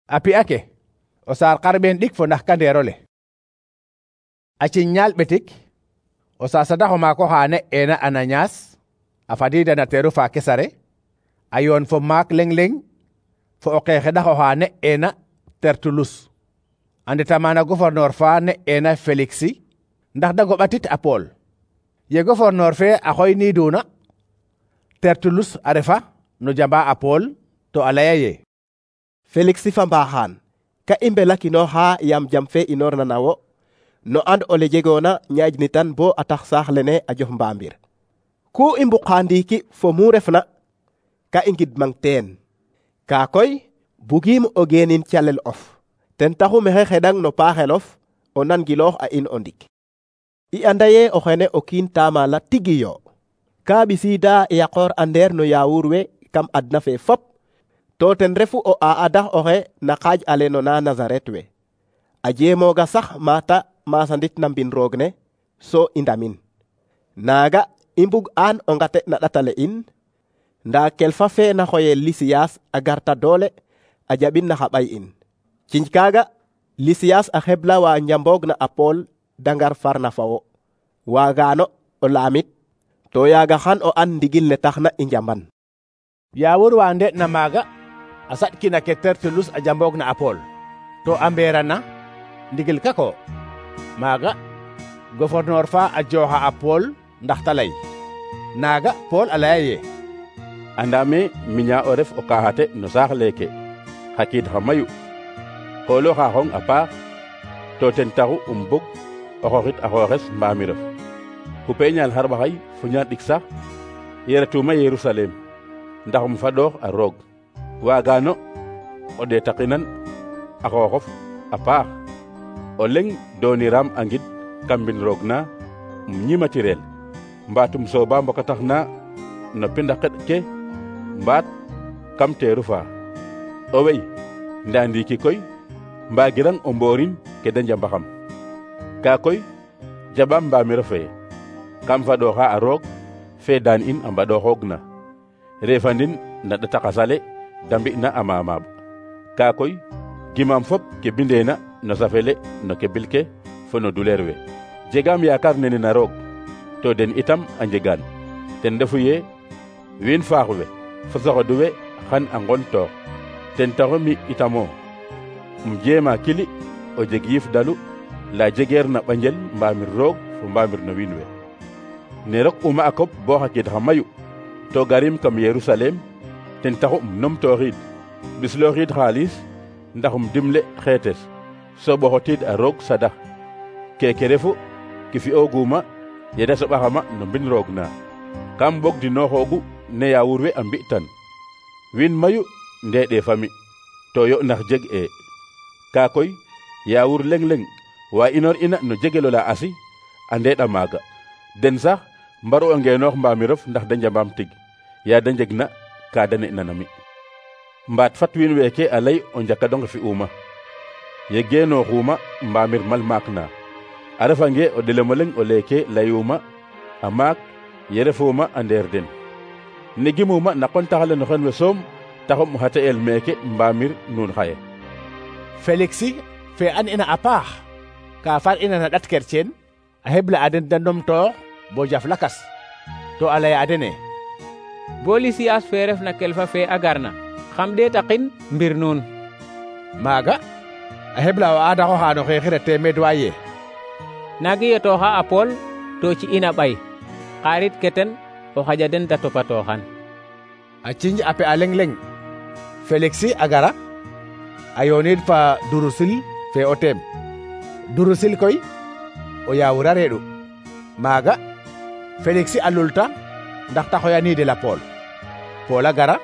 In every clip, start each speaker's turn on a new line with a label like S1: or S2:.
S1: A pi'a ke o saar xarɓeen ɗik fo ndax kandeerole. A ciññaal ɓetik o sasadax o maak oxa ne'eena Ananias a fadiida na teeru fa Kesare, a yoon fo maak leŋ leŋ fo o qeexeɗax oxa ne'eena Tertulus, a ndeta maana gouverneur fa ne'eena Feliksi ndax da ngoɓatit a Pool. Ye gouverneur fe a xoyniiduna, Tertulus a refa no jamba a Pool to a laya ye:
S2: Feliksi fa mbaaxaan, ka i mbelakinooxa yaam jam fe inoorna na wo no and ole jegoona ñaƴnitan bo a tax saax lene a jof mbaamir. Ku i mbuqa ndiiki fo mu refna ka i ngidmang teen. Kaa koy bugiim o geenin calel of, ten taxu mexe xeɗang no paaxelof o nangiloox a in o ndik. I anda ye o xene o kiin taamala tigi yo, ka ɓisiida yaqoor andeer no yaawur we kam adna fe fop, to ten refu o aadax oxe na xaaj ale no na Nazaret we. A jeemooga sax maata masandit na mbin roog ne, so i ndamin. Naaga i mbug aan o ngate na ɗatale in, ndaa kelfa fe na xoyel Lisiyas a garta doole a jaɓin na xa ɓay in. Ciñ kaaga Lisiyas a xebla wa njamboog na a Pool da ngar farna fa wo. Waagaano o laamit, to yaaga xan o an ndigil ne taxna i njamban.
S1: Yaawur wa nde'na maaga a saɗkina ke Tertulus a jamboog na a Pool, to a mbeerana ndigil kako. Maaga gouverneur fa a jooxa a Pool ndax ta lay. Naaga Pool a laya ye:
S3: Andame miña o ref o kaxate no saax leeke xa kiid xa mayu, xoolo xa xong a paax, to ten taxu bug o xooxit a xooxes mbaamirof. Xupe ñaal xarɓaxay fo ñaal ɗik sax yeretuma Yerusalem ndax fadoox a roog. Waagaano o ɗeetaqinan a xooxof a paax, o leŋ dooniram a ngid kam mbin roog na ñimatirel, mbaatum sooba mbokatax na no pinda xeɗ ke mbaat kam teeru fa. O wey ndaa ndiiki koy mbagirang o mboorin ke da njambaxam. Kaa koy jaɓaam mbaamiro fe kam fadooxa a roog fe daan in a mbaɗooxoogna, reefandin na ɗata xasale da mbi'na a maamaab. Kaa koy gimaam fop ke bindeena no safele no ke bil ke fo no duleer we. Jegaam yaakaar nene na roog, to den itam a njegaan. Ten refu ye wiin faax we fo soxodu we xan a nqontoox. Ten taxu mi itamo jeema kili o jeg yiif dalu la jegeer na ɓanjel mbaamir roog fo mbaamir no wiin we. Ne rok uma a koɓ bo xa kiid xa mayu, to garim kam Yerusalem, ten taxu numtooxiid ɓislooxiid xaalis ndax dimle xeetes, so ɓoxotiid a roog sadax. Keke refu ki fi'ooguma yeda soɓaxama no mbin roog na. Kam bog dinooxoogu ne yaawur we a mbi'tan. Wiin mayu ndeeɗee fami, to yo ndax jeg e. Kaa koy yaawur leŋ leŋ wa inoor ina no jegelo la asi a ndeeɗa maaga. Den sax mbaru o ngeenoox mbaamirof ndax da njambaam tig, yaa da njegna kaa da ne'na na mi. Mbaat fat wiin weeke a lay o njakadonge fi'uma. Ye geenooxuma mbaamir mal maak na. A refange o ɗelemo leŋ o leeke layuma a maak ye refuuma a ndeer den. Ne gimuma na qontaxale no xen we soom taxum xa te'el meeke mbaamir nuun xaye.
S1: Feliksi fe an ina a paax ka far ina na ɗat kerceen a hebla a den da numtoox bo jaf lakas, to a laya a dene:
S4: Bo Lisiyas fe refna kelfa fe a garna, xam ɗeetaqin mbir nuun.
S1: Maaga a hebla o aadax oxa no xeexire teemeed wa ye:
S4: Naagi yetooxa a Pool to ci ina ɓay, xaarit ke ten o xaƴa den da topatooxan.
S1: A cinj a pe'a leŋ leŋ, Feliksi a gara a yooniid fa Durusil fe o teem. Durusil koy o yaawur a reeɗu. Maaga Feliksi a lulta ndax ta xoyaniidel a Pool. Pool a gara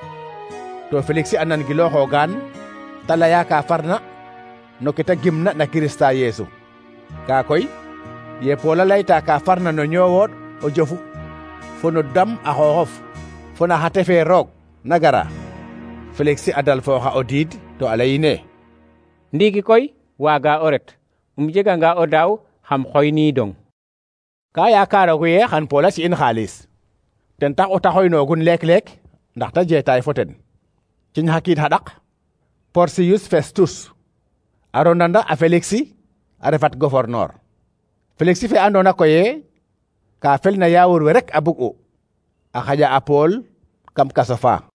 S1: to Feliksi a nangilooxoogaan ta laya ka farna no ke ta gimna na Kirista Yeesu. Kaa koy ye Pool a layta ka farna no ñoowooɗ o jofu fo no dam a xooxof fo na xa tefe roog na gara, Feliksi a dal fooxa o diid to a layine:
S4: Ndiiki koy waaga o ret, jeganga o daaw xam xoyniidong.
S1: Ka yakaroogu ye xan Pool a ci'in xaalis, ten tax o ta xoynoogun leek-leek ndax ta jeetaay fo ten. Ciñ xa kiid xa ɗaq Porcius Festus a ronanda a Feliksi a refat gouverneur. Feliksi fe andona koye ka felna yawoor we rek a bug'u a xaƴa a Paul kam kaso fa.